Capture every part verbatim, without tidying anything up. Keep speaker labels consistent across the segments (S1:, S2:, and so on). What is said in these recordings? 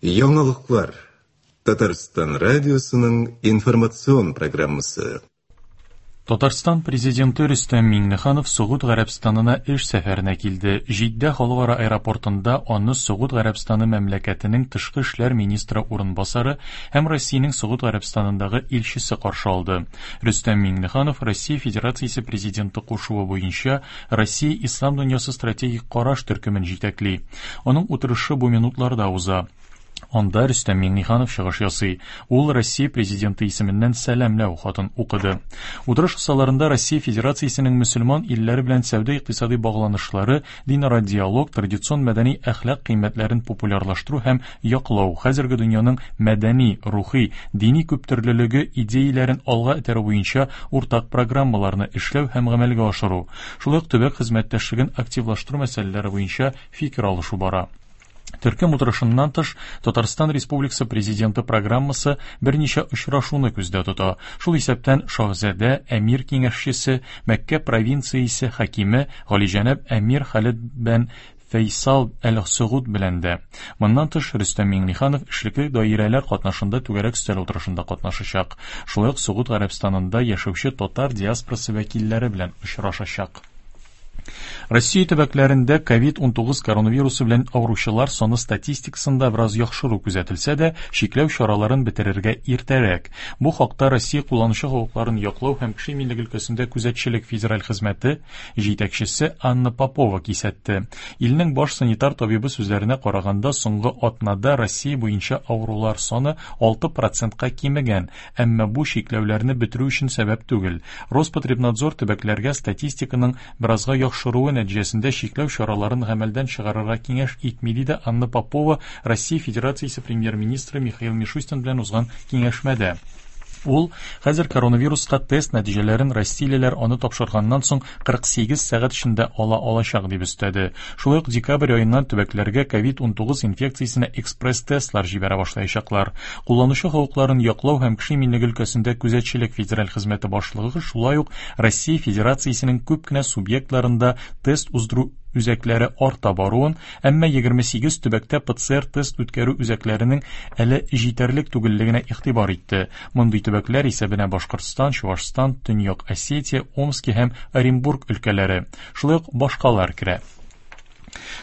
S1: Яңалыклар. Татарстан радиосының информацион программасы.
S2: Татарстан президенты Рөстәм Миңнеханов Согуд Гарәбстанына эш сәфәренә килде. Җиддә халыкара аэропортында аны Согуд Гарәбстаны мәмләкәтенең тышкы эшләр министры урынбасары һәм Россиянең Согуд Гарәбстанындагы илчесе каршы алды. Рөстәм Миңнеханов Россия Федерациясе президенты кушуы буенча Россия Ислам дөньясы стратегик караш төркемен җитәкли. Аның утырышы бу минутларда уза. Анда Рөстәм Миңнеханов чыгыш ясый. Ул Россия президенты исеменнән сәламләү хатын укыды. Утырыш кысаларында Россия Федерациясенең мөселман илләре белән сәүдә-икътисади багланышлары, динара диалог, традицион мәдәни әхлак кыйммәтләрен популярлаштыру һәм яклау, хәзерге дөньяның мәдәни, рухи, дини күптөрлелеге идеяләрен алга этәрү буенча уртак программаларны эшләү һәм гамәлгә ашыру, шулай ук төбәк хезмәттәшлеген активлаштыру мәсьәләләре буенча фикер алышу бара. Төркем утырышыннан тыш, Татарстан Республикасы президенты программасы берничә очрашуны күздә тота. Шул исәптән Шаһзадә, Әмир киңәшчесе, Мәккә провинциясе хакиме Галиҗәнәп Әмир Халид бен Фәйсал әл-Согуд белән дә. Моннан тыш, Рөстәм Миңнеханов эшлекле даирәләр катнашында түгәрәк өстәл утырышында катнашачак. Шулай ук Согуд Гарәбстанында яшәүче татар диаспорасы вәкилләре белән очрашачак. Россия төбәкләрендә ковид унтугыз коронавирусы белән авыручылар саны статистикасында бераз яхшыру күзәтелсә дә, чикләү чараларын бетерергә иртәрәк. Бу хакта Россия кулланучы хокукларын яклау һәм кеше иминлеге өлкәсендә күзәтчелек федераль хезмәте җитәкчесе Анна Попова кисәтте. Илнең баш санитар табибы сүзләренә караганда, соңгы атнада Россия буенча авырулар саны алты процентка кимегән, әмма бу чикләүләрне бетерү өчен сәбәп түгел. Роспотребнадзор төбәкләргә статистиканың беразга яхшыруы нәтиҗәсендә чикләү чараларын гамәлдән чыгарырга киңәш итми, диде Анна Попова Россия Федерациясе премьер-министры Михаил Мишустин белән узган киңәшмәдә. Ул хәзер коронавируска тест нәтиҗәләрен россиялеләр аны тапшырганнан соң кырык сигез сәгать эчендә ала алачак дип өстәде. Шулай ук декабрь аеннан төбәкләргә ковид унтугыз инфекциясенә экспресс-тестлар җибәрә башлаячаклар. Кулланучы хокукларын яклау һәм кеше иминлеге өлкәсендә күзәтчелек федераль хезмәте башлыгы шулай ук Россия Федерациясенең күп кенә субъектларында тест уздыру үзәкләре арта баруын, әмма егерме сигез төбәктә П Ц Р тест үткәрү үзәкләренең әле җитәрлек түгеллегенә игътибар итте. Мондый төбәкләр исәбенә Башкортстан, Чувашстан, Төньяк Осетия, Омски һәм Оренбург өлкәләре, шулай ук башкалар керә.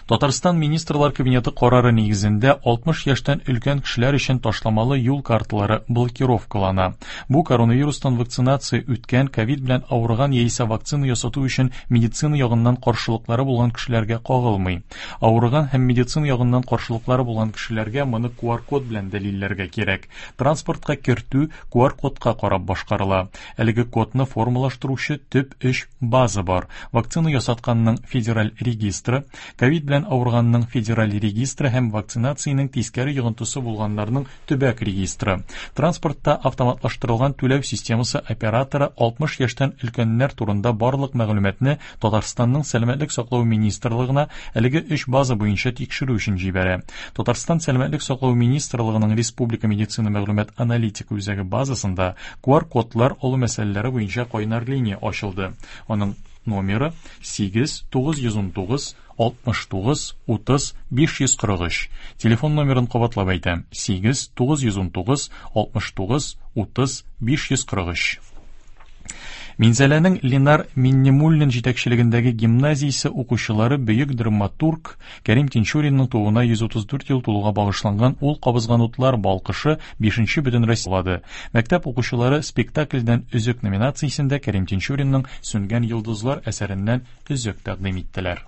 S2: Татарстан Министрлар Кабинеты карары нигезендә алтмыш яшьтән өлкән кешеләр өчен ташламалы юл карталары блокировкалана. Бу коронавирустан вакцинация үткән, ковид белән авырган яисә вакцина ясату өчен медицина ягыннан каршылыклары булган кешеләргә кагылмый. Авырган һәм медицина ягыннан каршылыклары булган кешеләргә моны Q R код белән дәлилләргә кирәк. Транспортка кертү Q R кодка карап башкарыла. Әлеге кодны формалаштыручы төп өч база бар. Вакцина ясатканның федераль регистры, ковид белән авырганның федераль регистры һәм вакцинациянең тискәре йогынтысы булганнарның төбәк регистры. Транспортта автоматлаштырылган түләү системасы операторы алтмыш яшьтән өлкәннәр турында барлык мәгълүматны Татарстанның Сәламәтлек саклау министрлыгына әлеге өч база буенча тикшерү өчен җибәрә. Татарстан Сәламәтлек саклау министрлыгының Республика медицина мәгълүмат аналитика үзәге базасында Q R кодлар алу мәсьәләләре буенча кайнар линия ачылды. Аның номеры сигез тугыз йөз ун тугыз алтмыш тугыз утыз биш йөз кырык өч. Телефон номерын кабатлап әйтәм: сигез тугыз йөз ун тугыз алтмыш тугыз утыз биш йөз кырык өч. Минзәләнең Ленар Миннемуллин җитәкчелегендәге гимназиясе укучылары бөек драматург Кәрим Тинчуринның тууына йөз утыз дүрт ел тулуга багышланган Ул кабызган утлар балкышы бишенче бөтенроссия булады. Мәктәп укучылары спектакльдән өзек номинациясендә Кәрим Тинчуринның Сүнгән йолдызлар әсәреннән өзек тәкъдим иттеләр.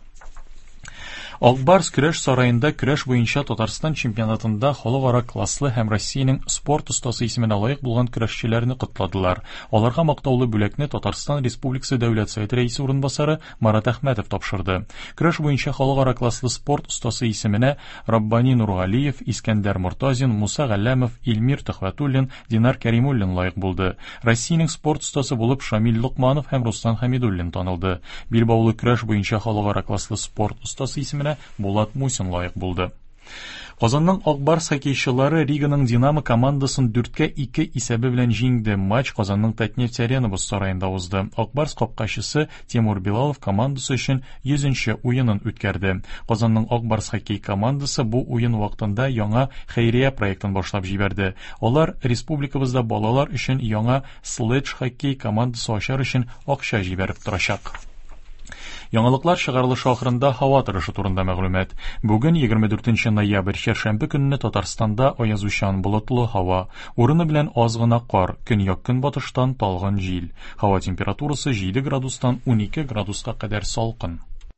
S2: Акбарс көрәш сараенда көрәш буенча Татарстан чемпионатында халыкара класслы һәм Россиянең спорт остасы исеменә лаек булган көрәшчеләрне котладылар. Аларга мактаулы бүләкне Татарстан Республикасы Дәүләт Советы рәисе урынбасары Марат Әхмәтов тапшырды. Көрәш буенча халыкара класслы спорт остасы исеменә Раббани Нургалиев, Искәндәр Мортазин, Муса Галләмов, Илмир Төхвәтуллин, Динар Кәримуллин лаек булды. Россиянең спорт остасы булып Шамил Локманов һәм Руслан Хәмидуллин танылды. Билбаулы көрәш буенча халыкара класслы спорт остасы исеменә Булат Мусин лаек булды. Казанның Ак Барс хоккейчылары Риганың Динамо командасын дүрткә ике исәбе белән җиңде. Матч Казанның Татнефть Арена боз сараенда узды. Ак Барс капкачысы Тимур Билалов командасы өчен йөзенче уенын үткәрде. Казанның Ак Барс хоккей командасы бу уен вакытында яңа хәйрия проектын башлап җибәрде. Алар республикабызда балалар өчен яңа следж-хоккей командасы ачар өчен акча җибәреп торачак. Яңалыклар чыгарылышы ахырында һава торышы турында мәгълүмат. Бүген егерме дүртенче ноябрь, чәршәмбе көнне Татарстанда аязучан болытлы һава, урыны белән аз гына кар, көньяк-көнбатыштан талгын җил. Һава температурасы җиде градустан унике градуска кадәр салкын.